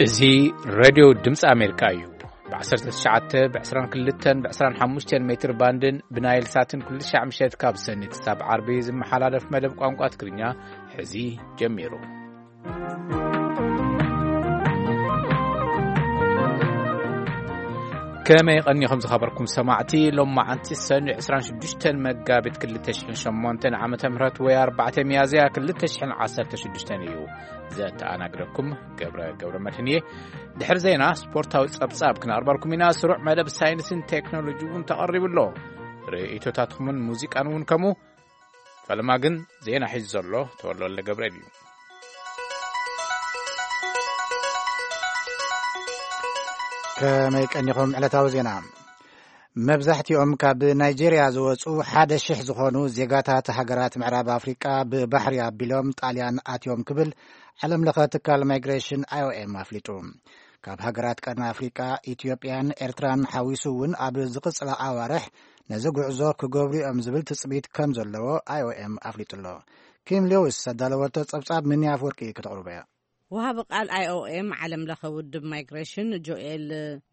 እዚ ሬድዮ ድምፂ ኣሜሪካ እዩ። ብ19፣ ብ22፣ ብ25 ሜትር ባንድን ብናይል ሳትን ኩሉ ሻዕ ምሸት ካብ ሰኒ ክሳብ ዓርቢ ዝመሓላለፍ መደብ ቋንቋ ትግርኛ ሕዚ ጀሚሩ። ከመይ ቀኒኹም ዝኸበርኩም ሰማዕቲ? ሎም መዓንቲ ሰኒ 26 መጋቢት 2008 ዓመተ ምህረት ወይ 4 ሚያዝያ 2016 እዩ። ዘተኣናግደኩም ገብረ ገብረ መድህን እየ። ድሕሪ ዜና ስፖርታዊ ጸብጻብ ክነቕርበልኩም ኢና። ስሩዕ መደብ ሳይንስን ቴክኖሎጂ እውን ተቐሪቡ ኣሎ። ርእይቶታትኩምን ሙዚቃን እውን ከምኡ። ፈለማ ግን ዜና ሒዙ ዘሎ ተወልደ ወልደ ገብርኤል እዩ። ከመይ ቀኒኹም? ዕለታዊ ዜና። መብዛሕትኦም ካብ ናይጄርያ ዝወጹ ሓደ ሽሕ ዝኾኑ ዜጋታት ሃገራት ምዕራብ ኣፍሪቃ ብባሕሪ ኣቢሎም ጣልያን ኣትዮም ክብል ዓለም ለኸ ትካል ማይግሬሽን ኣይኦኤም ኣፍሊጡ። ካብ ሃገራት ቀርኒ ኣፍሪቃ ኢትዮጵያን ኤርትራን ሓዊሱ እውን ኣብ ዝቕጽላ ኣዋርሕ ነዚ ጉዕዞ ክገብሩ እዮም ዝብል ትጽቢት ከም ዘለዎ ኣይኦኤም ኣፍሊጡ ኣሎ። ኪም ሌዊስ ኣዳለወቶ ጸብጻብ ምንያ ኣፍወርቂ ከተቕርቦ እያ። ወሃቢ ቃል ኣይኦኤም ዓለም ለኸ ውድብ ማይግሬሽን ጆኤል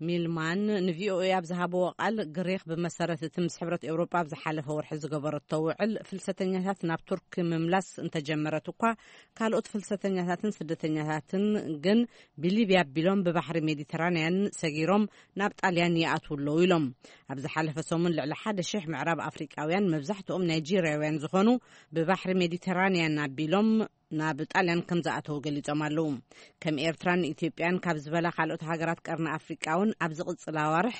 ሚልማን ንቪኦኤ ኣብ ዝሃብዎ ቃል፣ ግሪኽ ብመሰረት እቲ ምስ ሕብረት ኤውሮጳ ኣብ ዝሓለፈ ወርሒ ዝገበረቶ ውዕል ፍልሰተኛታት ናብ ቱርክ ምምላስ እንተጀመረት እኳ፣ ካልኦት ፍልሰተኛታትን ስደተኛታትን ግን ብሊብያ ኣቢሎም ብባሕሪ ሜዲተራንያን ሰጊሮም ናብ ጣልያን ይኣትዉ ኣለዉ ኢሎም። ኣብ ዝሓለፈ ሰሙን ልዕሊ ሓደ ሽሕ ምዕራብ ኣፍሪቃውያን፣ መብዛሕትኦም ናይጄርያውያን ዝኾኑ፣ ብባሕሪ ሜዲተራንያን ኣቢሎም ናብ ጣልያን ከም ዝኣተዉ ገሊጾም ኣለዉ። ከም ኤርትራን ኢትዮጵያን ካብ ዝበላ ካልኦት ሃገራት ቀርኒ ኣፍሪቃ እውን ኣብ ዝቕጽል ኣዋርሕ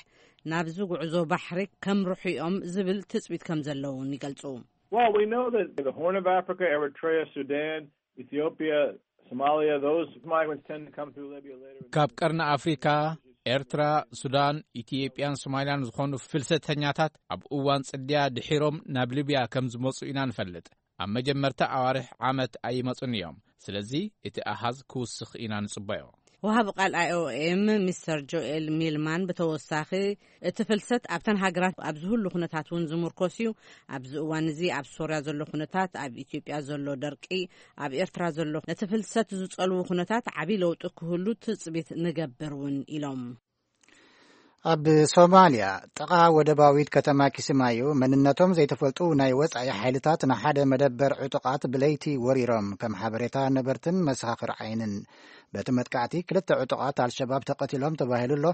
ናብዚ ጉዕዞ ባሕሪ ከምርሑ እዮም ዝብል ትጽቢት ከም ዘለውን ይገልጹ። Well, we know that the Horn of Africa, Eritrea, Sudan, Ethiopia, Somalia, those migrants tend to come through Libya later. ካብ ቀርኒ ኣፍሪካ፣ ኤርትራ፣ ሱዳን፣ ኢትዮጵያን ሶማልያን ዝኾኑ ፍልሰተኛታት ኣብ እዋን ጽድያ ድሒሮም ናብ ሊብያ ከም ዝመጹ ኢና ንፈልጥ። ኣብ መጀመርታ ኣዋርሕ ዓመት ኣይመጹን እዮም። ስለዚ እቲ ኣሃዝ ክውስኽ ኢና ንጽበዮ። ወሃቢ ቃል ኣይኦኤም ሚስተር ጆኤል ሚልማን ብተወሳኺ፣ እቲ ፍልሰት ኣብተን ሃገራት ኣብ ዝህሉ ኩነታት እውን ዝምርኮስ እዩ። ኣብዚ እዋን እዚ ኣብ ሶርያ ዘሎ ኩነታት፣ ኣብ ኢትዮጵያ ዘሎ ደርቂ፣ ኣብ ኤርትራ ዘሎ ነቲ ፍልሰት ዝጸልዉ ኩነታት ዓቢ ለውጢ ክህሉ ትጽቢት ንገብር እውን ኢሎም። ኣብ ሶማልያ ጥቓ ወደባዊት ከተማ ኪስማዩ መንነቶም ዘይተፈልጡ ናይ ወጻኢ ሓይልታት ንሓደ መደበር ዕጡቓት ብለይቲ ወሪሮም፣ ከም ሓበሬታ ነበርትን መሰኻኽር ዓይንን። በቲ መጥቃዕቲ ክልተ ዕጡቓት ኣልሸባብ ተቐቲሎም ተባሂሉ ኣሎ፣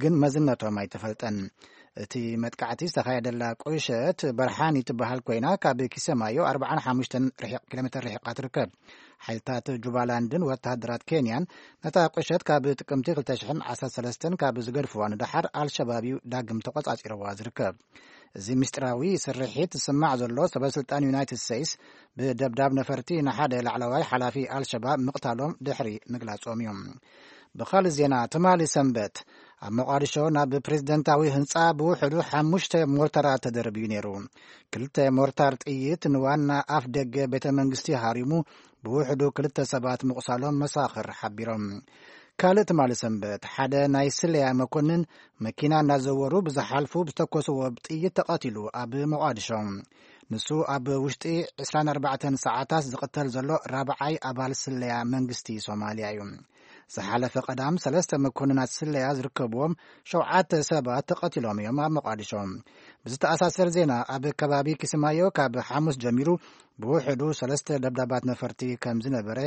ግን መዝነቶም ኣይተፈልጠን። እቲ መጥቃዕቲ ዝተኻየደላ ቁሸት በርሓን ትበሃል ኮይና፣ ካብ ኪሰማዮ 45 ርሒቕ- ኪሎ ሜትር ርሒቓ ትርከብ። ሓይልታት ጁባላንድን ወተሃደራት ኬንያን ነታ ቁሸት ካብ ጥቅምቲ 2013 ካብ ዝገድፍዋ ንደሓር፣ ኣልሸባብ እዩ ዳግም ተቆጻጺርዋ ዝርከብ። እዚ ምስጢራዊ ስርሒት ዝስማዕ ዘሎ፣ ሰበስልጣን ዩናይትድ ስቴትስ ብደብዳብ ነፈርቲ ንሓደ ላዕለዋይ ሓላፊ ኣልሸባብ ምቕታሎም ድሕሪ ምግላጾም እዩ። ብኻልእ ዜና፣ ትማሊ ሰንበት ኣብ ሞቓዲሾ ናብ ፕሬዝደንታዊ ህንጻ ብውሕዱ ሓሙሽተ ሞርታራት ተደርብዩ ነይሩ። ክልተ ሞርታር ጥይት ንዋና ኣፍ ደገ ቤተ መንግስቲ ሃሪሙ፣ ብውሕዱ ክልተ ሰባት ምቑሳሎም መሳኽር ሓቢሮም። ካልእ ትማሊ ሰንበት ሓደ ናይ ስለያ መኮንን መኪና እናዘወሩ ብዝሓልፉ ብዝተኮስዎ ጥይት ተቐቲሉ ኣብ ሞቓዲሾ። ንሱ ኣብ ውሽጢ 24 ሰዓታት ዝቕተል ዘሎ ራብዓይ ኣባል ስለያ መንግስቲ ሶማልያ እዩ። ዝሓለፈ ቀዳም ሰለስተ መኮንናት ስለያ ዝርከብዎም ሸውዓተ ሰባት ተቐቲሎም እዮም ኣብ ሞቓዲሾ። ብዝተኣሳሰር ዜና፣ ኣብ ከባቢ ኪስማዮ ካብ ሓሙስ ጀሚሩ ብውሕዱ ሰለስተ ደብዳባት ነፈርቲ ከም ዝነበረ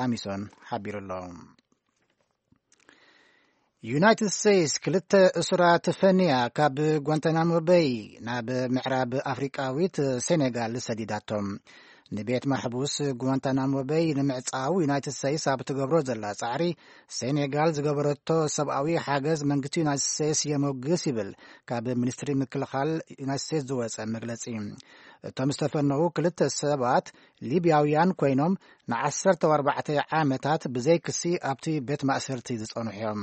ኣሚሶን ሓቢሩ ኣሎ። ዩናይትድ ስቴትስ ክልተ እሱራት ፈንያ ካብ ጓንታናሞ በይ ናብ ምዕራብ ኣፍሪቃዊት ሴኔጋል ሰዲዳቶም። ንቤት ማሕቡስ ጓንታናሞ በይ ንምዕጻው ዩናይትድ ስቴትስ ኣብ ትገብሮ ዘላ ጻዕሪ፣ ሴኔጋል ዝገበረቶ ሰብኣዊ ሓገዝ መንግስቲ ዩናይትድ ስቴትስ የሞግስ ይብል ካብ ሚኒስትሪ ምክልኻል ዩናይትድ ስቴትስ ዝወጸ መግለጺ። እቶም ዝተፈነዉ ክልተ ሰባት ሊብያውያን ኮይኖም፣ ን14 ዓመታት ብዘይ ክሲ ኣብቲ ቤት ማእሰርቲ ዝጸንሑ እዮም።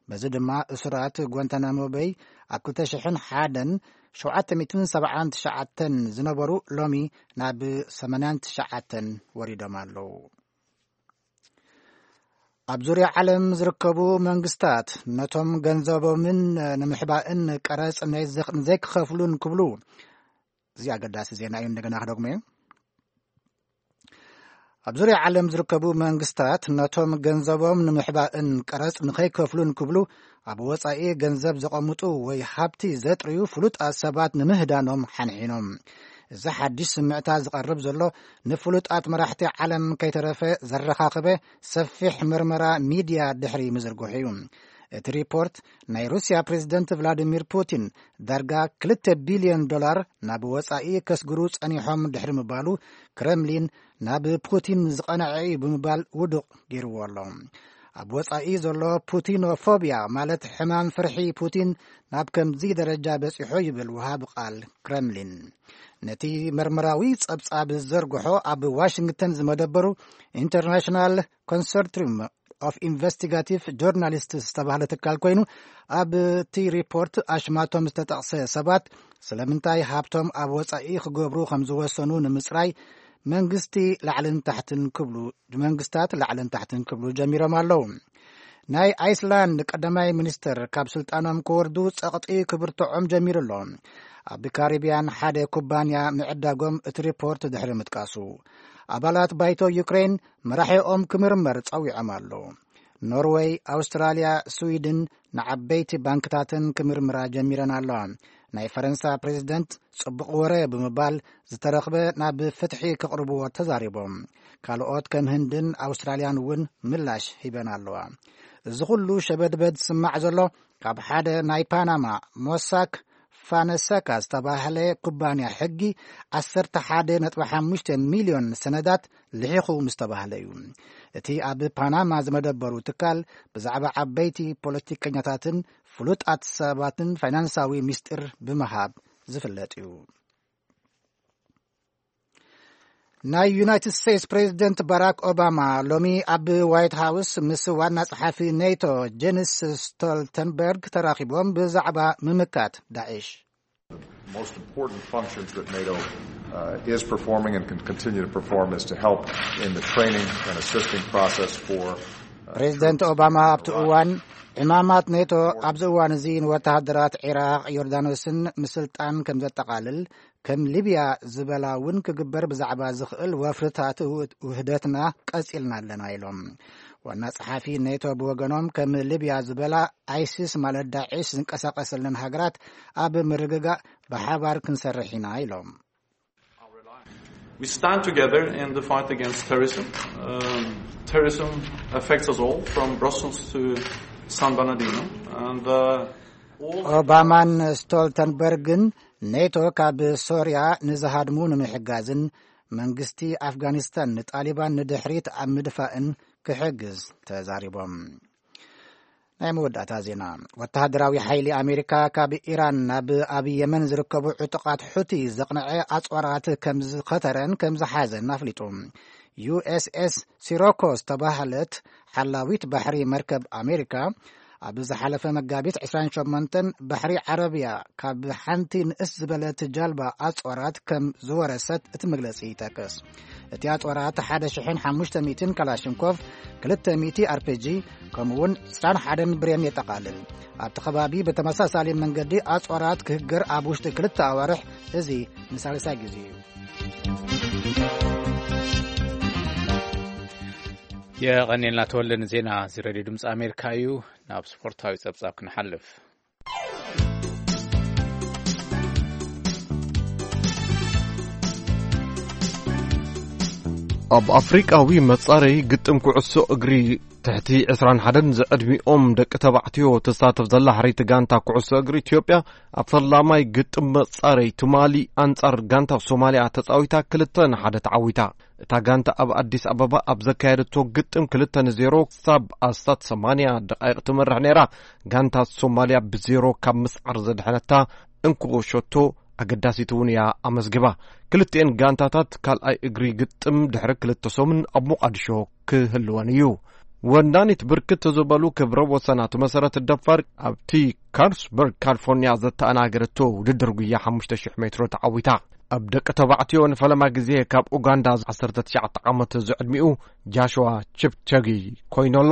በዚ ድማ እሱራት ጓንታናሞ በይ ኣብ 2001 779 ዝነበሩ፣ ሎሚ ናብ 89 ወሪዶም ኣለዉ። ኣብ ዙርያ ዓለም ዝርከቡ መንግስታት ነቶም ገንዘቦምን ንምሕባእን ቀረጽ ንዘይክ- ንዘይክኸፍሉን ክብሉ፣ እዚ ኣገዳሲ ዜና እዩ፣ እንደገና ክደግሞ እዩ። ኣብ ዙርያ ዓለም ዝርከቡ መንግስታት ነቶም ገንዘቦም ንምሕባእን ቀረጽ ንኸይከፍሉን ክብሉ ኣብ ወጻኢ ገንዘብ ዘቐምጡ ወይ ሃብቲ ዘጥርዩ ፍሉጣት ሰባት ንምህዳኖም ሓንሒኖም። እዚ ሓድሽ ስምዕታ ዝቐርብ ዘሎ ንፍሉጣት መራሕቲ ዓለም ከይተረፈ ዘረኻኸበ ሰፊሕ መርመራ ሚድያ ድሕሪ ምዝርግሑ እዩ። እቲ ሪፖርት ናይ ሩስያ ፕሬዝደንት ቭላዲሚር ፑቲን ዳርጋ ክልተ ቢልዮን ዶላር ናብ ወጻኢ ከስግሩ ጸኒሖም ድሕሪ ምባሉ ክረምሊን ናብ ፑቲን ዝቐንዐ እዩ ብምባል ውዱቕ ገይርዎ ኣሎ። ኣብ ወጻኢ ዘሎ ፑቲኖፎብያ ማለት ሕማም ፍርሒ ፑቲን ናብ ከምዚ ደረጃ በጺሑ ይብል ወሃቢ ቃል ክረምሊን። ነቲ መርመራዊ ጸብጻብ ዘርግሖ ኣብ ዋሽንግተን ዝመደበሩ ኢንተርናሽናል ኮንሶርቲዩም ኦፍ ኢንቨስቲጋቲቭ ጆርናሊስትስ ዝተባህለ ትካል ኮይኑ ኣብቲ ሪፖርት ኣሽማቶም ዝተጠቕሰ ሰባት ስለምንታይ ሃብቶም ኣብ ወጻኢ ክገብሩ ከም ዝወሰኑ ንምጽራይ መንግስቲ ላዕልን ታሕትን ክብሉ መንግስታት ላዕልን ታሕትን ክብሉ ጀሚሮም ኣለዉ። ናይ ኣይስላንድ ቀዳማይ ሚኒስትር ካብ ስልጣኖም ክወርዱ ጸቕጢ ክብርትዖም ጀሚሩ ኣሎ። ኣብ ካሪብያን ሓደ ኩባንያ ምዕዳጎም እቲ ሪፖርት ድሕሪ ምጥቃሱ ኣባላት ባይቶ ዩክሬን መራሒኦም ክምርመር ጸዊዖም ኣለዉ። ኖርወይ፣ ኣውስትራልያ፣ ስዊድን ንዓበይቲ ባንክታትን ክምርምራ ጀሚረን ኣለዋ። ናይ ፈረንሳ ፕሬዝደንት ጽቡቕ ወረ ብምባል ዝተረኽበ ናብ ፍትሒ ክቕርብዎ ተዛሪቦም። ካልኦት ከም ህንድን ኣውስትራልያን እውን ምላሽ ሂበን ኣለዋ። እዚ ኩሉ ሸበድበድ ዝስማዕ ዘሎ ካብ ሓደ ናይ ፓናማ ሞሳክ ፋነሰካ ዝተባህለ ኩባንያ ሕጊ ዓሰርተ ሓደ ነጥቢ ሓሙሽተ ሚልዮን ሰነዳት ልሒኹ ምስ ተባህለ እዩ። እቲ ኣብ ፓናማ ዝመደበሩ ትካል ብዛዕባ ዓበይቲ ፖለቲከኛታትን ፍሉጣት ሰባትን ፋይናንሳዊ ሚስጢር ብምሃብ ዝፍለጥ እዩ። ናይ ዩናይትድ ስቴትስ ፕሬዚደንት ባራክ ኦባማ ሎሚ ኣብ ዋይት ሃውስ ምስ ዋና ጸሓፊ ኔቶ ጀንስ ስቶልተንበርግ ተራኺቦም ብዛዕባ ምምካት ዳዕሽ Most important functions that NATO uh, is performing and can continue to perform is to help in the training and assisting process for uh, ፕሬዚደንት ኦባማ ኣብቲ እዋን ዕማማት ኔቶ ኣብዚ እዋን እዚ ንወተሃደራት ዒራቕ ዮርዳኖስን ምስልጣን ከም ዘጠቓልል ከም ሊብያ ዝበላ እውን ክግበር ብዛዕባ ዝኽእል ወፍርታት ውህደትና ቀጺልና ኣለና ኢሎም። ዋና ጸሓፊ ኔቶ ብወገኖም ከም ሊብያ ዝበላ ኣይሲስ ማለት ዳዒሽ ዝንቀሳቀሰለን ሃገራት ኣብ ምርግጋእ ብሓባር ክንሰርሕ ኢና ኢሎም። We stand together in the fight against terrorism. Um, terrorism affects us all, from Brussels to San Bernardino. And uh, all ኦባማን ስቶልተንበርግን ኔቶ ካብ ሶርያ ንዝሃድሙ ንምሕጋዝን መንግስቲ ኣፍጋኒስታን ንጣሊባን ንድሕሪት ኣብ ምድፋእን ክሕግዝ ተዛሪቦም። ናይ መወዳእታ ዜና። ወተሃደራዊ ሓይሊ ኣሜሪካ ካብ ኢራን ናብ ኣብ የመን ዝርከቡ ዕጡቓት ሑቲ ዘቕንዐ ኣጽዋራት ከም ዝኸተረን ከም ዝሓዘን ኣፍሊጡ። ዩ ኤስ ኤስ ሲሮኮ ዝተባህለት ሓላዊት ባሕሪ መርከብ ኣሜሪካ ኣብ ዝሓለፈ መጋቢት ዕስራን ሸሞንተን ባሕሪ ዓረብያ ካብ ሓንቲ ንእስ ዝበለት ጃልባ ኣጽዋራት ከም ዝወረሰት እቲ መግለጺ ይጠቅስ። እቲ ኣጽዋራት ሓደ ሽሕን ሓሙሽተ ሚእትን ካላሽንኮቭ፣ ክልተ ሚእቲ ኣር ፒ ጂ፣ ከምኡውን ዕስራን ሓደን ብሬን የጠቓልል። ኣብቲ ከባቢ ብተመሳሳሊ መንገዲ ኣጽዋራት ክህገር ኣብ ውሽጢ ክልተ ኣዋርሕ፣ እዚ ንሳልሳይ ግዜ እዩ። የቐኔልና ተወልደ ንዜና እዚ ሬድዮ ድምፂ ኣሜሪካ እዩ። ናብ ስፖርታዊ ጸብጻብ ክንሓልፍ። ኣብ ኣፍሪቃዊ መጻረይ ግጥም ኩዕሶ እግሪ ትሕቲ ዕስራን ሓደን ዝዕድሚኦም ደቂ ተባዕትዮ ትሳተፍ ዘላ ሕረይቲ ጋንታ ኩዕሶ እግሪ ኢትዮጵያ ኣብ ፈላማይ ግጥም መጻረይ ትማሊ ኣንጻር ጋንታ ሶማልያ ተጻዊታ ክልተ ንሓደ ተዓዊታ። እታ ጋንታ ኣብ ኣዲስ ኣበባ ኣብ ዘካየደቶ ግጥም ክልተ ንዜሮ ክሳብ ኣስታት ሰማንያ ደቃይቕ ትመርሕ ነይራ። ጋንታ ሶማልያ ብዜሮ ካብ ምስዓር ዘድሐነታ እንኮ ሸቶ ኣገዳሲት እውን እያ ኣመዝጊባ። ክልቲኤን ጋንታታት ካልኣይ እግሪ ግጥም ድሕሪ ክልተ ሰሙን ኣብ ሞቓዲሾ ክህልወን እዩ። ወናኒት ብርክት ዝበሉ ክብረ ወሰናት መሰረት ደፋር ኣብቲ ካርስበርግ ካሊፎርኒያ ዘተኣናገረቶ ውድድር ጉያ ሓሙሽተ ሽሕ ሜትሮ ተዓዊታ። ኣብ ደቂ ተባዕትዮ ንፈለማ ግዜ ካብ ኡጋንዳ ዓሰርተ ትሽዓተ ዓመት ዝዕድሚኡ ጃሽዋ ቺፕቸጊ ኮይኑ ኣሎ።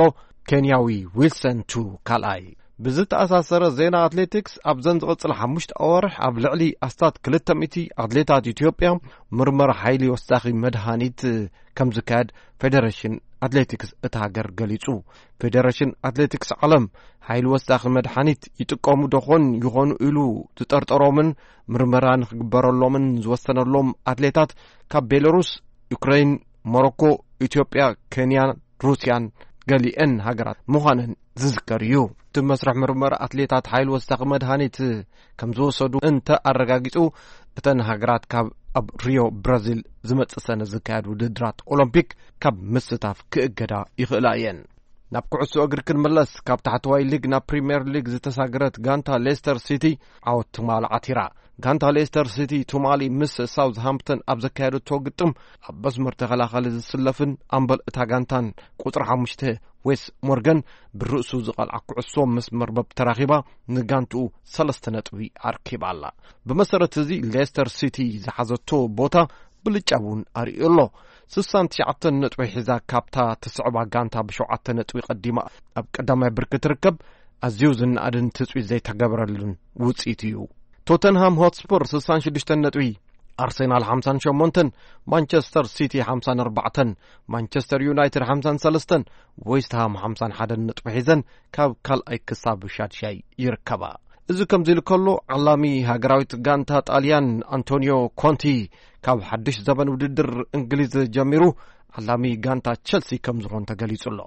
ኬንያዊ ዊልሰን ቱ ካልኣይ። ብዝተኣሳሰረ ዜና ኣትሌቲክስ፣ ኣብዘን ዝቕጽል ሓሙሽተ ኣዋርሕ ኣብ ልዕሊ ኣስታት ክልተ ሚእቲ ኣትሌታት ኢትዮጵያ ምርመራ ሓይሊ ወሳኺ መድሃኒት ከም ዝካየድ ፌደሬሽን ኣትሌቲክስ እታ ሃገር ገሊጹ። ፌደሬሽን ኣትሌቲክስ ዓለም፣ ሓይሊ ወሳኺ መድሃኒት ይጥቀሙ ዶኾን ይኾኑ ኢሉ ዝጠርጠሮምን ምርመራ ንክግበረሎምን ዝወሰነሎም ኣትሌታት ካብ ቤላሩስ፣ ዩክሬን፣ ሞሮኮ፣ ኢትዮጵያ፣ ኬንያን ሩስያን ገሊአን ሃገራት ምዃነን ዝዝከር እዩ። እቲ መስርሕ ምርመራ ኣትሌታት ሓይሊ ወሳኺ መድሃኒት ከም ዝወሰዱ እንተ ኣረጋጊጹ፣ እተን ሃገራት ካብ ኣብ ሪዮ ብራዚል ዝመጽእ ሰነ ዝካየድ ውድድራት ኦሎምፒክ ካብ ምስታፍ ክእገዳ ይኽእላ እየን። ናብ ኩዕሶ እግሪ ክንምለስ፣ ካብ ታሕተዋይ ሊግ ናብ ፕሪምየር ሊግ ዝተሳገረት ጋንታ ሌስተር ሲቲ ዓወት ትማል ዓቲራ። ጋንታ ሌስተር ሲቲ ትማሊ ምስ ሳውዝሃምፕተን ኣብ ዘካየደቶ ግጥም፣ ኣብ መስመር ተኸላኻሊ ዝስለፍን ኣምበል እታ ጋንታን ቁጽሪ ሓሙሽተ ዌስ ሞርጋን ብርእሱ ዝቐልዓ ኩዕሶ ምስ መርበብ ተራኺባ፣ ንጋንትኡ ሰለስተ ነጥቢ ኣርኪባ ኣላ። ብመሰረት እዚ፣ ሌስተር ሲቲ ዝሓዘቶ ቦታ ብልጫ እውን ኣርእዩ ኣሎ። ስሳን ትሽዓተን ነጥቢ ሒዛ ካብታ ትስዕባ ጋንታ ብሸውዓተ ነጥቢ ቀዲማ ኣብ ቀዳማይ ብርኪ ትርከብ፣ ኣዝዩ ዝነኣድን ትጽቢት ዘይተገበረሉን ውጽኢት እዩ። ቶተንሃም ሆትስፐር ስሳን ሽዱሽተን ነጥቢ፣ ኣርሰናል ሓምሳን ሸሞንተን፣ ማንቸስተር ሲቲ ሓምሳን ኣርባዕተን፣ ማንቸስተር ዩናይትድ ሓምሳን ሰለስተን፣ ዌስትሃም ሓምሳን ሓደን ነጥቢ ሒዘን ካብ ካልኣይ ክሳብ ሻድሻይ ይርከባ። እዚ ከምዚ ኢሉ ከሎ፣ ዓላሚ ሃገራዊት ጋንታ ጣልያን ኣንቶኒዮ ኮንቲ ካብ ሓድሽ ዘበን ውድድር እንግሊዝ ጀሚሩ፣ ዓላሚ ጋንታ ቸልሲ ከም ዝኾን ተገሊጹ ኣሎ።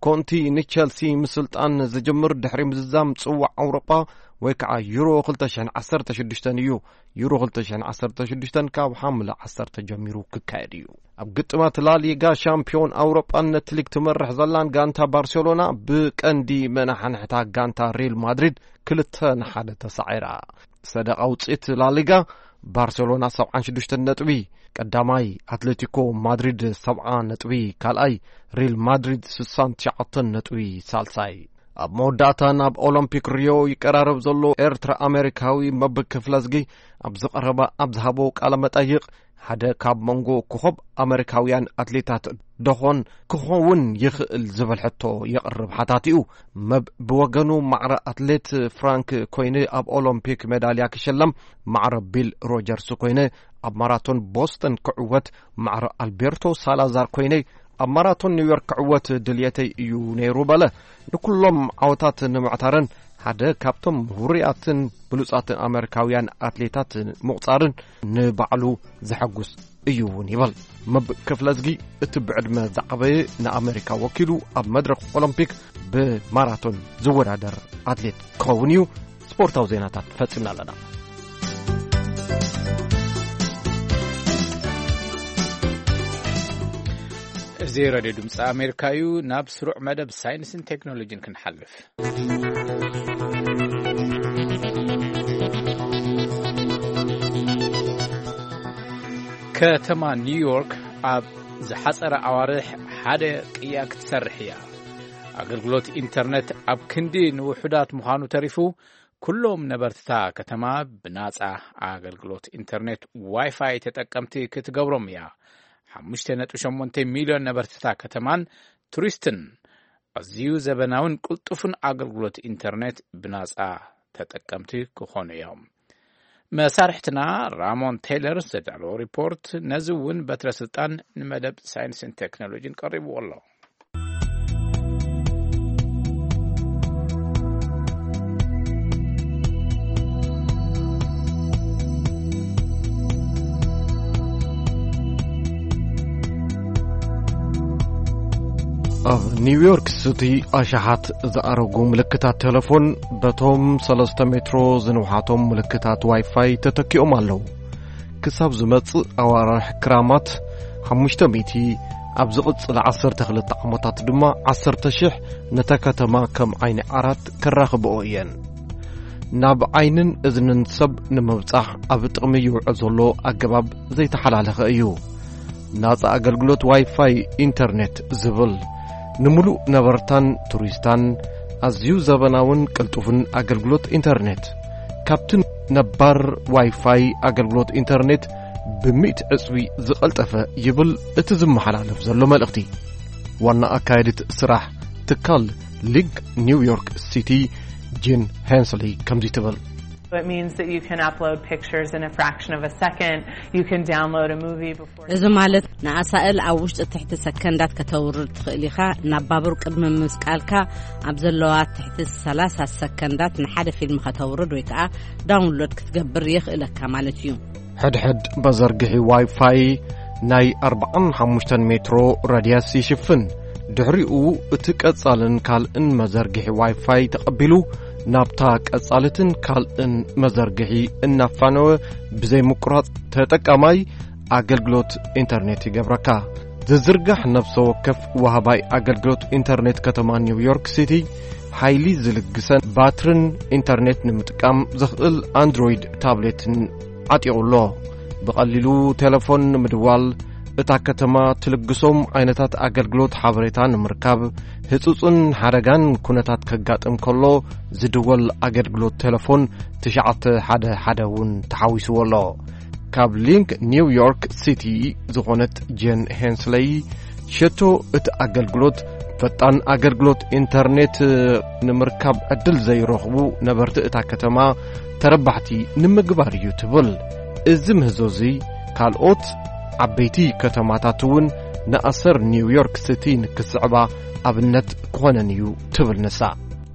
ኮንቲ ንቸልሲ ምስልጣን ዝጅምር ድሕሪ ምዝዛም ጽዋዕ ኣውሮጳ ወይ ከዓ ዩሮ ክልተ ሽሕን ዓሰርተ ሽዱሽተን እዩ። ዩሮ ክልተ ሽሕን ዓሰርተ ሽዱሽተን ካብ ሓምለ ዓሰርተ ጀሚሩ ክካየድ እዩ። ኣብ ግጥማት ላሊጋ ሻምፒዮን ኣውሮጳን ነቲ ሊግ ትመርሕ ዘላን ጋንታ ባርሴሎና ብቀንዲ መናሓንሕታ ጋንታ ሪል ማድሪድ ክልተ ንሓደ ተሳዒራ። ሰደቓ ውፅኢት ላሊጋ፣ ባርሴሎና ሰብዓን ሽዱሽተን ነጥቢ ቀዳማይ፣ ኣትሌቲኮ ማድሪድ ሰብዓ ነጥቢ ካልኣይ፣ ሪል ማድሪድ ስሳን ትሽዓተን ነጥቢ ሳልሳይ። ኣብ መወዳእታ ናብ ኦሎምፒክ ሪዮ ይቀራረብ ዘሎ ኤርትራ ኣሜሪካዊ መብ ክፍለዝጊ ኣብ ዝቐረበ፣ ኣብ ዝሃቦ ቃለ መጠይቕ፣ ሓደ ካብ መንጎ ኮኾብ ኣመሪካውያን ኣትሌታት ደኾን ክኸውን ይኽእል ዝብል ሕቶ የቕርብ ሓታቲኡ። መብ ብወገኑ፣ ማዕረ ኣትሌት ፍራንክ ኮይነ ኣብ ኦሎምፒክ ሜዳልያ ክሸለም፣ ማዕረ ቢል ሮጀርስ ኮይነ ኣብ ማራቶን ቦስተን ክዕወት፣ ማዕረ ኣልቤርቶ ሳላዛር ኮይነ ኣብ ማራቶን ኒውዮርክ ክዕወት ድልየተይ እዩ ነይሩ በለ። ንኩሎም ዓወታት ንምዕታርን ሓደ ካብቶም ውሩያትን ብሉጻትን ኣመሪካውያን ኣትሌታት ምቑጻርን ንባዕሉ ዘሐጉስ እዩ እውን ይበል። መብ ክፍለዝጊ እቲ ብዕድመ ዝዓበየ ንኣመሪካ ወኪሉ ኣብ መድረኽ ኦሎምፒክ ብማራቶን ዝወዳደር ኣትሌት ክኸውን እዩ። ስፖርታዊ ዜናታት ፈጺምና ኣለና። እዚ ሬድዮ ድምፂ ኣሜሪካ እዩ። ናብ ስሩዕ መደብ ሳይንስን ቴክኖሎጂን ክንሓልፍ። ከተማ ኒውዮርክ ኣብ ዝሓጸረ ኣዋርሕ ሓደ ቅያ ክትሰርሕ እያ። ኣገልግሎት ኢንተርነት ኣብ ክንዲ ንውሑዳት ምዃኑ ተሪፉ፣ ኩሎም ነበርትታ ከተማ ብናጻ ኣገልግሎት ኢንተርኔት ዋይፋይ ተጠቀምቲ ክትገብሮም እያ። ሓሙሽተ ነጥቢ ሸሞንተ ሚልዮን ነበርትታ ከተማን ቱሪስትን ኣዝዩ ዘበናውን ቅልጡፍን ኣገልግሎት ኢንተርኔት ብናጻ ተጠቀምቲ ክኾኑ እዮም። መሳርሕትና ራሞን ቴይለር ዘዳለዎ ሪፖርት፣ ነዚ እውን በትረ ስልጣን ንመደብ ሳይንስን ቴክኖሎጂን ቀሪብዎ ኣሎ። ኣብ ኒውዮርክ ሲቲ ኣሽሓት ዝኣረጉ ምልክታት ቴሌፎን በቶም ሰለስተ ሜትሮ ዝንውሓቶም ምልክታት ዋይፋይ ተተኪኦም ኣለዉ። ክሳብ ዝመጽእ ኣዋርሕ ክራማት ሓሙሽተ ሚእቲ፣ ኣብ ዝቕጽል ዓሰርተ ክልተ ዓመታት ድማ ዓሰርተ ሽሕ ነታ ከተማ ከም ዓይኒ ዓራት ከራኽብኦ እየን። ናብ ዓይንን እዝንን ሰብ ንምብጻሕ ኣብ ጥቕሚ ይውዕል ዘሎ ኣገባብ ዘይተሓላለኸ እዩ። ናጻ ኣገልግሎት ዋይፋይ ኢንተርኔት ዝብል፣ ንምሉእ ነበርታን ቱሪስታን ኣዝዩ ዘበናውን ቅልጡፍን ኣገልግሎት ኢንተርኔት፣ ካብቲ ነባር ዋይፋይ ኣገልግሎት ኢንተርኔት ብሚእቲ ዕጽዊ ዝቐልጠፈ ይብል እቲ ዝመሓላለፍ ዘሎ መልእኽቲ። ዋና ኣካየዲት ስራሕ ትካል ሊግ ኒውዮርክ ሲቲ ጂን ሄንስሊ ከምዚ ትብል። So it means that you can upload pictures in a fraction of a second. You can download a movie before እዚ ማለት ንኣሳእል ኣብ ውሽጢ ትሕቲ ሰከንዳት ከተውርድ ትኽእል ኢኻ። ናብ ባቡር ቅድሚ ምስቃልካ ኣብ ዘለዋ ትሕቲ ሰላሳ ሰከንዳት ንሓደ ፊልም ከተውርድ ወይ ከዓ ዳውንሎድ ክትገብር የኽእለካ ማለት እዩ። ሕድሕድ መዘርግሒ ዋይፋይ ናይ ኣርባዓን ሓሙሽተን ሜትሮ ራድያስ ይሽፍን። ድሕሪኡ እቲ ቀጻልን ካልእን መዘርግሒ ዋይፋይ ተቐቢሉ ናብታ ቀጻልትን ካልእን መዘርግሒ እናፋነወ ብዘይ ምቁራጽ ተጠቃማይ ኣገልግሎት ኢንተርኔት ይገብረካ። ዝዝርጋሕ ነፍሰ ወከፍ ወሃባይ ኣገልግሎት ኢንተርኔት ከተማ ኒውዮርክ ሲቲ ሓይሊ ዝልግሰን ባትርን ኢንተርኔት ንምጥቃም ዘኽእል ኣንድሮይድ ታብሌትን ዓጢቑ ኣሎ። ብቐሊሉ ቴሌፎን ንምድዋል፣ እታ ከተማ ትልግሶም ዓይነታት ኣገልግሎት ሓበሬታ ንምርካብ፣ ህጹጽን ሓደጋን ኩነታት ከጋጥም ከሎ ዝድወል ኣገልግሎት ቴሌፎን ትሽዓተ ሓደ ሓደ እውን ተሓዊስዎ ኣሎ። ካብ ሊንክ ኒው ዮርክ ሲቲ ዝኾነት ጄን ሄንስለይ፣ ሸቶ እቲ ኣገልግሎት፣ ፈጣን ኣገልግሎት ኢንተርኔት ንምርካብ ዕድል ዘይረኽቡ ነበርቲ እታ ከተማ ተረባሕቲ ንምግባር እዩ ትብል። እዚ ምህዞ እዚ ካልኦት ዓበይቲ ከተማታት እውን ንኣሰር ኒው ዮርክ ሲቲ ንክስዕባ ኣብነት ክኾነን እዩ ትብል ንሳ።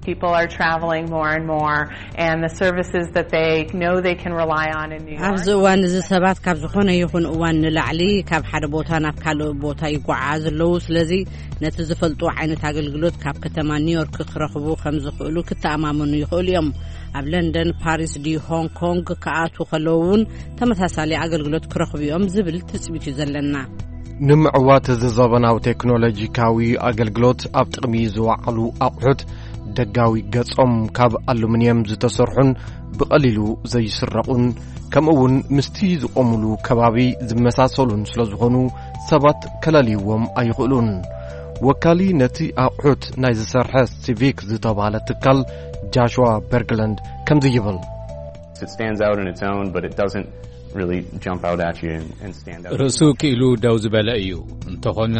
People are traveling more and more, and the services that they know they can rely on in New York. ኣብዚ እዋን እዚ ሰባት ካብ ዝኾነ ይኹን እዋን ንላዕሊ ካብ ሓደ ቦታ ናብ ካልእ ቦታ ይጓዓዝ ኣለዉ። ስለዚ ነቲ ዝፈልጡ ዓይነት ኣገልግሎት ካብ ከተማ ኒውዮርክ ክረኽቡ ከም ዝኽእሉ ክተኣማመኑ ይኽእሉ እዮም። ኣብ ለንደን፣ ፓሪስ ድዩ ሆንግ ኮንግ ክኣትዉ ከለዉ እውን ተመሳሳሊ ኣገልግሎት ክረኽቡ እዮም ዝብል ትጽቢት እዩ ዘለና። ንምዕዋት እዚ ዘበናዊ ቴክኖሎጂካዊ ኣገልግሎት ኣብ ጥቕሚ ዝወዓሉ ኣቑሑት ደጋዊ ገጾም ካብ ኣሉሚንየም ዝተሰርሑን ብቐሊሉ ዘይስረቑን፣ ከምኡ እውን ምስቲ ዝቖሙሉ ከባቢ ዝመሳሰሉን ስለ ዝኾኑ ሰባት ከለልይዎም ኣይኽእሉን። ወካሊ ነቲ ኣቑሑት ናይ ዝሰርሐ ሲቪክ ዝተባህለ ትካል ጃሽዋ በርግለንድ ከምዚ ይብል። It stands out in its own, but it doesn't really jump out at you and, and stand out. ርእሱ ክኢሉ ደው ዝበለ እዩ። እንተኾነ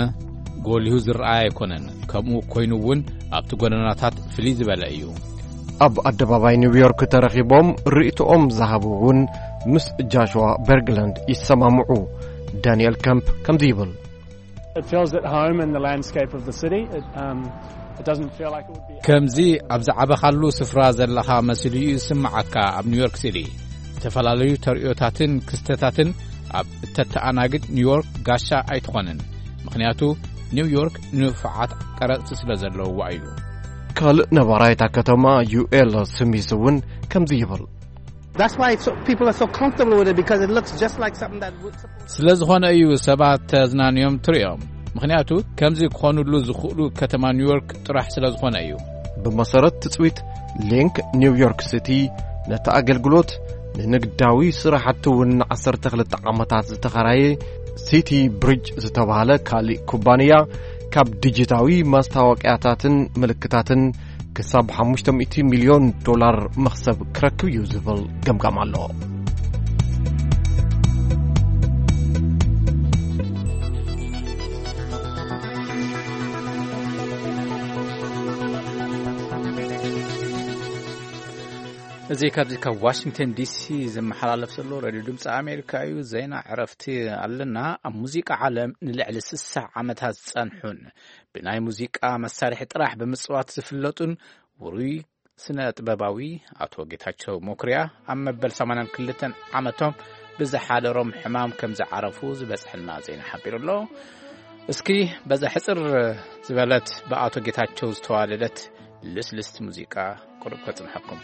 ጎሊሁ ዝረኣይ ኣይኮነን። ከምኡ ኮይኑ እውን ኣብቲ ጎደናታት ፍልይ ዝበለ እዩ። ኣብ ኣደባባይ ኒውዮርክ ተረኺቦም ርእይቶኦም ዝሃቡ እውን ምስ ጃሽዋ በርግለንድ ይሰማምዑ። ዳንኤል ከምፕ ከምዚ ይብል። It feels at home in the landscape of the city. It, um, it doesn't feel like it would be ከምዚ ኣብ ዝዓበኻሉ ስፍራ ዘለኻ መሲሉ እዩ ዝስምዓካ። ኣብ ኒውዮርክ ሲቲ ዝተፈላለዩ ተርእዮታትን ክስተታትን ኣብ እተተኣናግድ ኒውዮርክ ጋሻ ኣይትኾንን። ምኽንያቱ ኒውዮርክ ንፉዓት ቀረጽቲ ስለ ዘለውዋ እዩ። ካልእ ነባራይ እታ ከተማ ዩኤል ስሚስ እውን ከምዚ ይብል። That's why it's so, people are so comfortable with it, because it looks just like something that would. ስለ ዝኾነ እዩ ሰባት ተዝናንዮም ትርእዮም። ምኽንያቱ ከምዚ ክኾኑሉ ዝኽእሉ ከተማ ኒውዮርክ ጥራሕ ስለ ዝኾነ እዩ። ብመሰረት ትጽቢት ሊንክ ኒውዮርክ ሲቲ ነቲ ኣገልግሎት ንንግዳዊ ስራሕቲ እውን ንዓሰርተ ክልተ ዓመታት ዝተኸራየ ሲቲ ብሪጅ ዝተባህለ ካልእ ኩባንያ ካብ ዲጂታዊ ማስታወቅያታትን ምልክታትን ክሳብ ሓሙሽተ ሚእቲ ሚልዮን ዶላር መኽሰብ ክረክብ እዩ ዝብል ገምጋም ኣሎ። እዚ ካብዚ ካብ ዋሽንግተን ዲሲ ዝመሓላለፍ ዘሎ ሬድዮ ድምፂ ኣሜሪካ እዩ። ዜና ዕረፍቲ ኣለና። ኣብ ሙዚቃ ዓለም ንልዕሊ ስሳ ዓመታት ዝፀንሑን ብናይ ሙዚቃ መሳርሒ ጥራሕ ብምፅዋት ዝፍለጡን ውሩይ ስነ ጥበባዊ ኣቶ ጌታቸው መኩርያ ኣብ መበል ሰማንያን ክልተን ዓመቶም ብዝሓደሮም ሕማም ከም ዝዓረፉ ዝበፅሐና ዜና ሓቢሩ ኣሎ። እስኪ በዛ ሕፅር ዝበለት ብኣቶ ጌታቸው ዝተዋደደት ልስልስቲ ሙዚቃ ቁሩብ ከጽንሐኩም።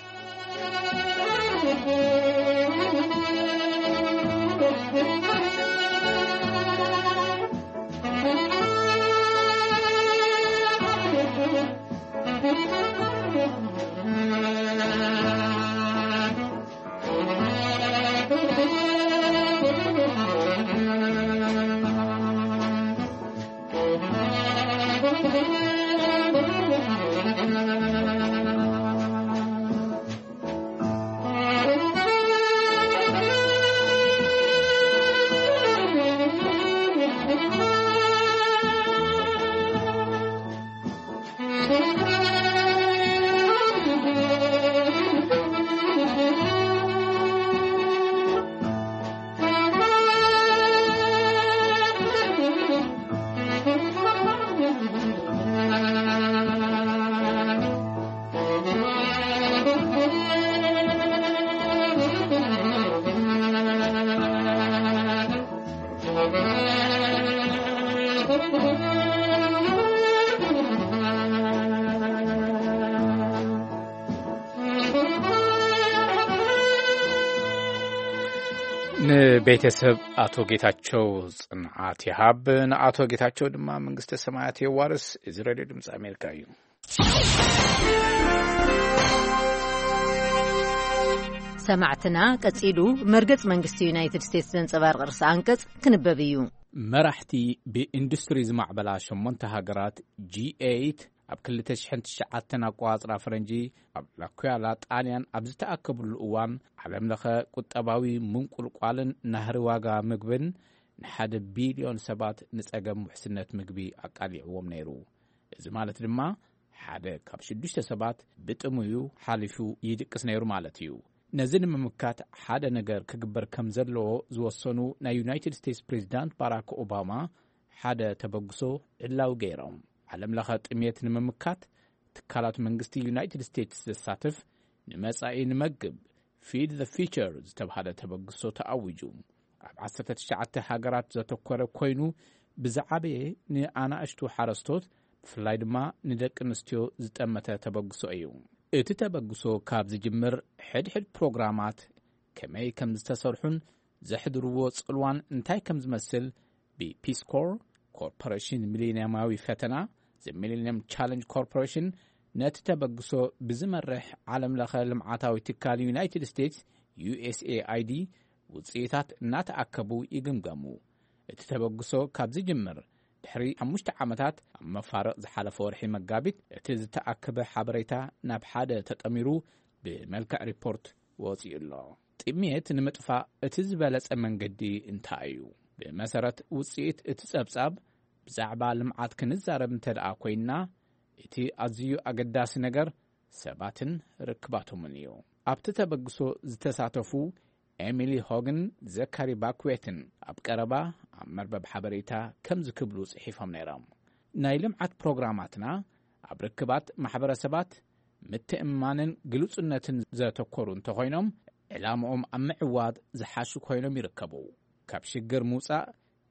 ንቤተሰብ ኣቶ ጌታቸው ጽንዓት ይሃብ፣ ንኣቶ ጌታቸው ድማ መንግስተ ሰማያት የዋርስ። እዚ ሬድዮ ድምፂ ኣሜሪካ እዩ። ሰማዕትና፣ ቀጺሉ መርገጽ መንግስቲ ዩናይትድ ስቴትስ ዘንጸባርቕ ርእሰ ኣንቀጽ ክንበብ እዩ። መራሕቲ ብኢንዱስትሪ ዝማዕበላ ሸሞንተ ሃገራት፣ ጂ ኤይት፣ ኣብ ክልተ ሽሕን ትሽዓተን ኣቆጻጽራ ፈረንጂ ኣብ ላኩያላ ጣልያን ኣብ ዝተኣከብሉ እዋን፣ ዓለም ለኸ ቁጠባዊ ምንቁልቋልን ናህሪ ዋጋ ምግብን ንሓደ ቢልዮን ሰባት ንጸገም ውሕስነት ምግቢ ኣቃሊዕዎም ነይሩ። እዚ ማለት ድማ ሓደ ካብ ሽዱሽተ ሰባት ብጥሙዩ ሓሊፉ ይድቅስ ነይሩ ማለት እዩ። ነዚ ንምምካት ሓደ ነገር ክግበር ከም ዘለዎ ዝወሰኑ ናይ ዩናይትድ ስቴትስ ፕሬዚዳንት ባራክ ኦባማ ሓደ ተበግሶ ዕላዊ ገይሮም። ዓለም ለኸ ጥሜት ንምምካት ትካላት መንግስቲ ዩናይትድ ስቴትስ ዘሳትፍ ንመጻኢ ንመግብ፣ ፊድ ዘ ፊቸር ዝተባሃለ ተበግሶ ተኣዊጁ። ኣብ ዓሰርተ ትሽዓተ ሃገራት ዘተኮረ ኮይኑ፣ ብዝዓበየ ንኣናእሽቱ ሓረስቶት፣ ብፍላይ ድማ ንደቂ ኣንስትዮ ዝጠመተ ተበግሶ እዩ። እቲ ተበግሶ ካብ ዝጅምር፣ ሕድሕድ ፕሮግራማት ከመይ ከም ዝተሰርሑን ዘሕድርዎ ጽልዋን እንታይ ከም ዝመስል ብፒስ ኮር ኮርፖሬሽን ሚሌንያማዊ ፈተና፣ ዘ ሚሌንየም ቻለንጅ ኮርፖሬሽን፣ ነቲ ተበግሶ ብዝመርሕ ዓለም ለኸ ልምዓታዊ ትካል ዩናይትድ ስቴትስ፣ ዩ ኤስ ኤ ኣይ ዲ፣ ውጽኢታት እናተኣከቡ ይግምገሙ። እቲ ተበግሶ ካብ ዝጅምር ድሕሪ ሓሙሽተ ዓመታት፣ ኣብ መፋርቕ ዝሓለፈ ወርሒ መጋቢት፣ እቲ ዝተኣከበ ሓበሬታ ናብ ሓደ ተጠሚሩ ብመልክዕ ሪፖርት ወጺኡ ኣሎ። ጥሜት ንምጥፋእ እቲ ዝበለጸ መንገዲ እንታይ እዩ? ብመሰረት ውጽኢት እቲ ጸብጻብ፣ ብዛዕባ ልምዓት ክንዛረብ እንተ ደኣ ኮይንና፣ እቲ ኣዝዩ ኣገዳሲ ነገር ሰባትን ርክባቶምን እዩ። ኣብቲ ተበግሶ ዝተሳተፉ ኤሚሊ ሆግን ዘካሪ ባክዌትን ኣብ ቀረባ ኣብ መርበብ ሓበሬታ ከምዚ ክብሉ ጽሒፎም ነይሮም። ናይ ልምዓት ፕሮግራማትና ኣብ ርክባት ማሕበረሰባት ምትእምማንን ግሉጽነትን ዘተኮሩ እንተኾይኖም፣ ዕላምኦም ኣብ ምዕዋት ዝሓሹ ኮይኖም ይርከቡ። ካብ ሽግር ምውጻእ፣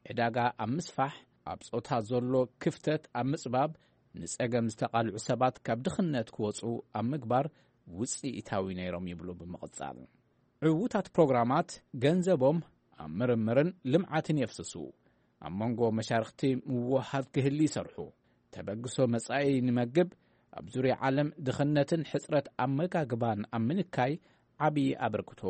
ዕዳጋ ኣብ ምስፋሕ፣ ኣብ ጾታ ዘሎ ክፍተት ኣብ ምጽባብ፣ ንጸገም ዝተቓልዑ ሰባት ካብ ድኽነት ክወጹ ኣብ ምግባር ውጽኢታዊ ነይሮም ይብሉ ብምቕጻል። ዕዉታት ፕሮግራማት ገንዘቦም ኣብ ምርምርን ልምዓትን የፍስሱ። ኣብ መንጎ መሻርኽቲ ምውህሃድ ክህሊ ይሰርሑ። ተበግሶ መጻኢ ንመግብ፣ ኣብ ዙርያ ዓለም ድኽነትን ሕጽረት ኣመጋግባን ኣብ ምንካይ ዓቢ ኣበርክቶ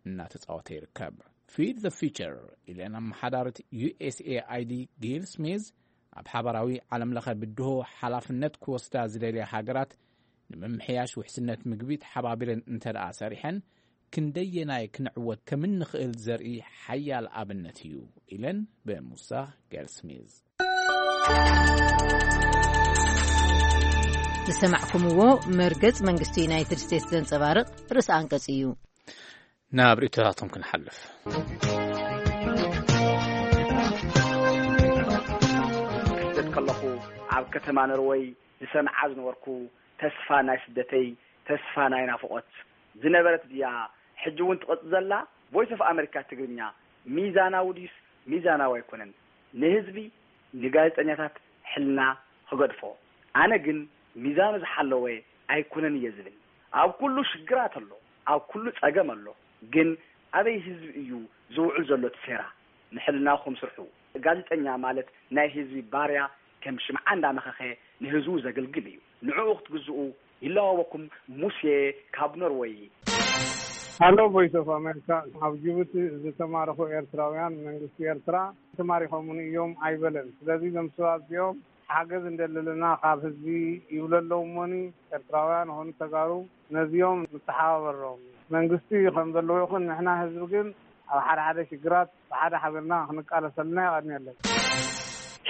እናተጻወተ ይርከብ። ፊድ ዘ ፊቸር ኢለን ኣመሓዳሪት ዩ ኤስ ኤ ኣይ ዲ ጊል ስሚዝ፣ ኣብ ሓባራዊ ዓለም ለኸ ብድሆ ሓላፍነት ክወስዳ ዝደልያ ሃገራት፣ ንምምሕያሽ ውሕስነት ምግቢ ተሓባቢረን እንተ ደኣ ሰሪሐን፣ ክንደየናይ ክንዕወት ከም እንኽእል ዘርኢ ሓያል ኣብነት እዩ፣ ኢለን ብሙሳ ጌልስሚዝ። ዝሰማዕኩምዎ መርገጽ መንግስቲ ዩናይትድ ስቴትስ ዘንጸባርቕ ርእሰ ኣንቀጽ እዩ። ናብ ርእይቶታቶም ክንሓልፍ። ክስደት ከለኹ ኣብ ከተማ ኖርወይ ዝሰምዓ ዝነበርኩ፣ ተስፋ ናይ ስደተይ፣ ተስፋ ናይ ናፍቖት ዝነበረት ድያ ሕጂ እውን ትቐጽል ዘላ? ቮይስ ኦፍ ኣመሪካ ትግርኛ ሚዛናዊ ድዩስ ሚዛናዊ ኣይኮነን? ንህዝቢ፣ ንጋዜጠኛታት ሕልና ክገድፎ። ኣነ ግን ሚዛኑ ዝሓለወ ኣይኮነን እየ ዝብል። ኣብ ኩሉ ሽግራት ኣሎ፣ ኣብ ኩሉ ጸገም ኣሎ። ግን ኣበይ ህዝቢ እዩ ዝውዕል ዘሎ እቲ ሴራ? ንሕልናኹም ስርሑ። ጋዜጠኛ ማለት ናይ ህዝቢ ባርያ፣ ከም ሽምዓ እንዳመኸኸ ንህዝቡ ዘገልግል እዩ። ንዕኡ ክትግዝኡ ይለዋወኩም። ሙሴ ካብ ኖርወይ። ሃሎ ቮይስ ኦፍ ኣሜሪካ፣ ኣብ ጅቡቲ ዝተማረኹ ኤርትራውያን መንግስቲ ኤርትራ ተማሪኾምን እዮም ኣይበለን። ስለዚ እዞም ሰባት እዚኦም ሓገዝ እንደለለና ካብ ህዝቢ ይብሉ ኣለዉ እሞኒ፣ ኤርትራውያን ኾኑ ተጋሩ ነዚኦም ንተሓባበሮም። መንግስቲ ከም ዘለዎ ይኹን፣ ንሕና ህዝቢ ግን ኣብ ሓደ ሓደ ሽግራት ብሓደ ሓቢርና ክንቃለሰልና የቐንየለይ።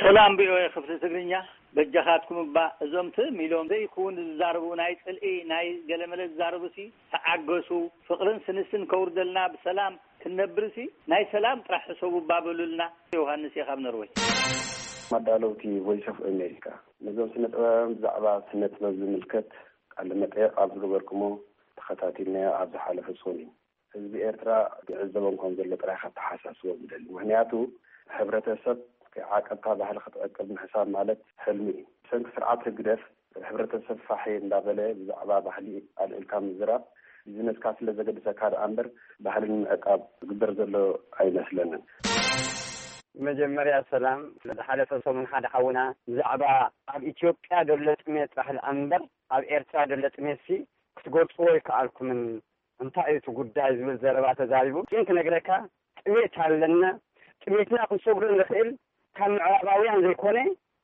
ሰላም ቪ ኦ ኤ ክፍሊ ትግርኛ፣ በጃኻትኩም እባ እዞም ትም ኢሎም ዘይክውን ዝዛረቡ፣ ናይ ጽልኢ ናይ ገለመለ ዝዛረቡሲ ተዓገሱ። ፍቕርን ስንስን ከውርደልና፣ ብሰላም ክንነብርሲ ናይ ሰላም ጥራሕ ሕሰቡ እባ በሉልና። ዮሃንስ እየ ካብ ኖርወይ። መዳለውቲ ቮይስ ኦፍ ኣሜሪካ፣ ነዞም ስነ ጥበባውያን ብዛዕባ ስነ ጥበብ ዝምልከት ቃለ መጠየቕ ኣብ ዝገበርኩሞ ተኸታቲልናዮ ኣብ ዝሓለፈ ሰሙን እዩ። ህዝቢ ኤርትራ ክዕዘቦም ከም ዘሎ ጥራይ ከተሓሳስቦም ይደሊ። ምኽንያቱ፣ ሕብረተሰብ ከይዓቀብካ ባህሊ ክትዕቅብ ምሕሳብ ማለት ሕልሚ እዩ። ብሰንኪ ስርዓት ህግደፍ፣ ሕብረተሰብ ፋሕ እንዳበለ ብዛዕባ ባህሊ ኣልዒልካ ምዝራብ ቢዝነስካ ስለ ዘገድሰካ ደኣ እምበር፣ ባህሊ ንምዕቃብ ዝግበር ዘሎ ኣይመስለንን። መጀመርያ ሰላም። ዝሓለፈ ሰሙን ሓደ ሓውና ብዛዕባ ኣብ ኢትዮጵያ ደሎ ጥሜት ጥራሕ ደኣ እምበር ኣብ ኤርትራ ደሎ ጥሜትሲ ክትገልጽዎ ኣይከኣልኩምን፣ እንታይ እዩ እቲ ጉዳይ ዝብል ዘረባ ተዛሪቡ። ግን ክነግረካ ጥሜት ኣለና። ጥሜትና ክንሰግሮ ንኽእል ካብ ምዕራባውያን ዘይኮነ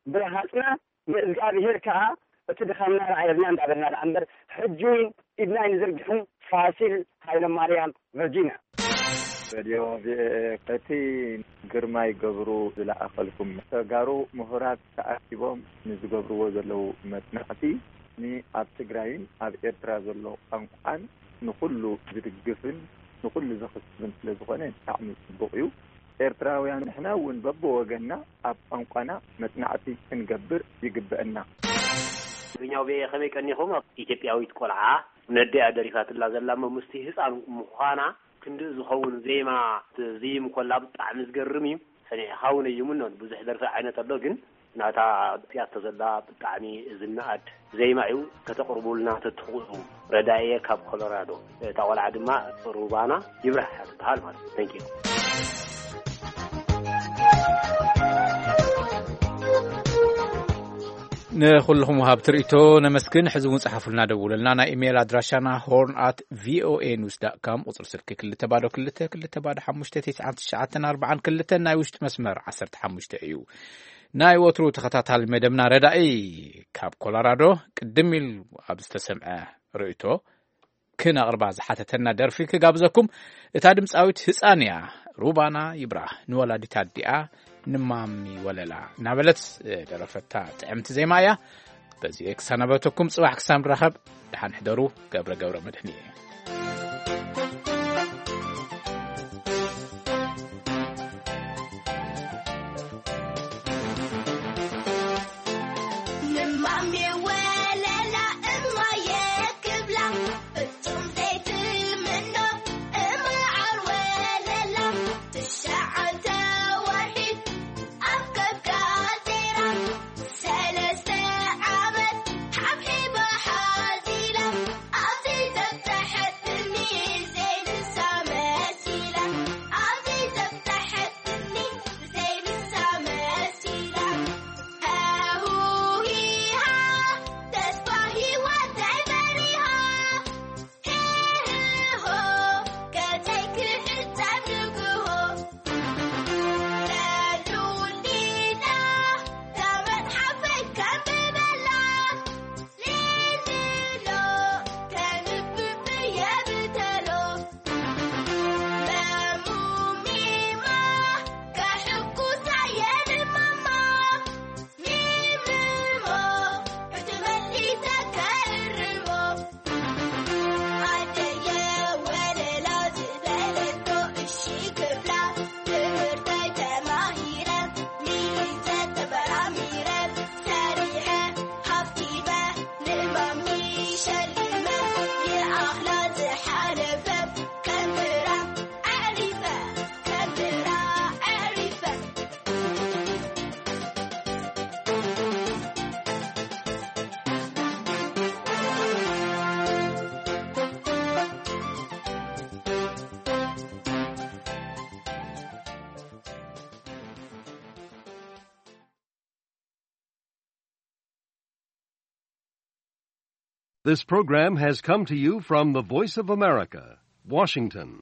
ብረሃጽና ንእዝጋብሄር ከኣ እቲ ድኻምና ረኣየልና እንዳበልና ደኣ እምበር፣ ሕጂ እውን ኢድና ኣይንዝርግሕን። ፋሲል ሃይለማርያም፣ ቨርጂንያ። ሬድዮ ቪኦኤ፣ እቲ ግርማይ ገብሩ ዝለኣኸልኩም፣ ተጋሩ ምሁራት ተኣኪቦም ንዝገብርዎ ዘለዉ መጽናዕቲ፣ ንኣብ ትግራይን ኣብ ኤርትራ ዘሎ ቋንቋን ንኹሉ ዝድግፍን ንኹሉ ዘኽስብን ስለ ዝኾነ ብጣዕሚ ጽቡቕ እዩ። ኤርትራውያን ንሕና እውን በብወገንና ኣብ ቋንቋና መጽናዕቲ ክንገብር ይግበአና። ትግርኛው ቤ ከመይ ቀኒኹም? ኣብ ኢትዮጵያዊት ቆልዓ ነዲኣ ደሪፋትላ ዘላ እሞ ምስቲ ህፃን ምዃና ክንድኡ ዝኸውን ዜማ ትዝይም ኮላ ብጣዕሚ ዝገርም እዩ። ሰኒዕኻ እውን እዩ ምኖን ብዙሕ ደርፊ ዓይነት ኣሎ፣ ግን ናታ ፒያቶ ዘላ ብጣዕሚ ዝነኣድ ዜማ እዩ። ከተቕርቡልና ተትኽእሉ። ረዳእየ ካብ ኮሎራዶ። እታ ቆልዓ ድማ ሩባና ይብራህ እያ ትበሃል ማለት እዩ። Thank you። ንኹልኹም ወሃብቲ ርእይቶ ነመስግን። ሕዚ እውን ጸሓፉልና፣ ደውሉልና። ናይ ኢሜይል ኣድራሻና ሆርን ኣት ቪኦኤ ኒውስ ዳት ካም፣ ቁጽሪ ስልኪ ክልተ ባዶ ክልተ ክልተ ባዶ ሓሙሽተ ትሽዓን ትሽዓተን ኣርባዓን ክልተን፣ ናይ ውሽጢ መስመር ዓሰርተ ሓሙሽተ እዩ። ናይ ወትሩ ተኸታታሊ መደብና ረዳኢ ካብ ኮሎራዶ ቅድም ኢሉ ኣብ ዝተሰምዐ ርእይቶ ክነቕርባ ዝሓተተና ደርፊ ክጋብዘኩም። እታ ድምፃዊት ህፃን እያ። ሩባና ይብራህ ንወላዲት ኣዲኣ ንማሚ ወለላ እናበለት ደረፈታ ጥዕምቲ ዜማ እያ። በዚ ክሰናበተኩም፣ ፅባሕ ክሳብ ንራኸብ ደሓን ሕደሩ። ገብረ ገብረ መድህን እየ። ንማሚ ወለላ እማየ ክብላ፣ ፍጹም ዘይትምኖ እምዓር ወለላ፣ ትሽዓተ ወርሒ ኣብ ከብዳ ዜራ፣ ሰለስተ ዓመት ሓብሒባ ሓዚላ፣ ኣብዚ ዘብጽሐትኒ ዘይንሳ መሲላ፣ ኣብዚ ዘብጽሐትኒ ዘይንሳ መሲላ። ሃሁ ሂሃ፣ ተስፋ ህይወተይ በሪሃ። ሄ ሄ ሆ፣ ገጸይ ክዕጸም ንግሆ። ለሉሊና፣ ተመጽሓፈይ ከንብበላ። ሊሊሎ፣ ከንብብ እየ ብተሎ። መሙሚማ፣ ከሕጉሳ እየ ንማማ። ሚምሞ፣ ብትመሊተ ከእርሞ። ኣደየ ወለላ ዝበለቶ እሺ ክብላ። ትምህርተይ ተማሂረ፣ ሚዘ ተመራሚረ፣ ሰሪሐ፣ ሃብቲመ፣ ንማሚ ሸሊመ፣ ይኣኽላ ዝሓለፈ፣ ከንብራ ኣዕሪፈ፣ ከንብራ ኣዕሪፈ። This program has come to you from the Voice of America, Washington.